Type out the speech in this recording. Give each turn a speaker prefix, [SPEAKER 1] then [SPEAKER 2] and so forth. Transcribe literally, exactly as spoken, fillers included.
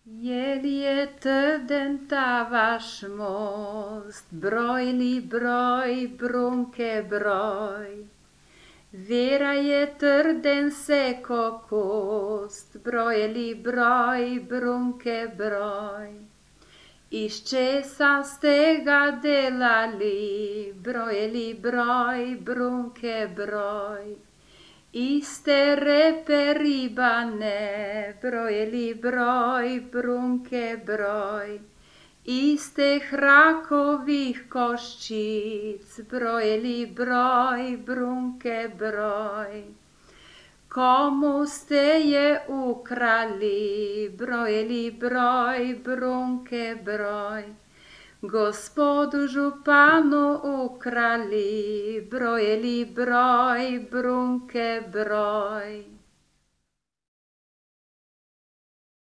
[SPEAKER 1] Je li je trden ta vaš most, broj li broj, brunke broj? Vera je trden se ko kost, broj li broj, brunke broj? Iz česa ste ga delali, broj li broj, brunke broj? Iste repe ribane, broj li broj, brunke broj? Iste hrakovih koščic, broj li broj, brunke broj? Komu ste je ukrali, broj li broj, brunke broj? Gospodu županu ukrali, broj li broj, brunke broj?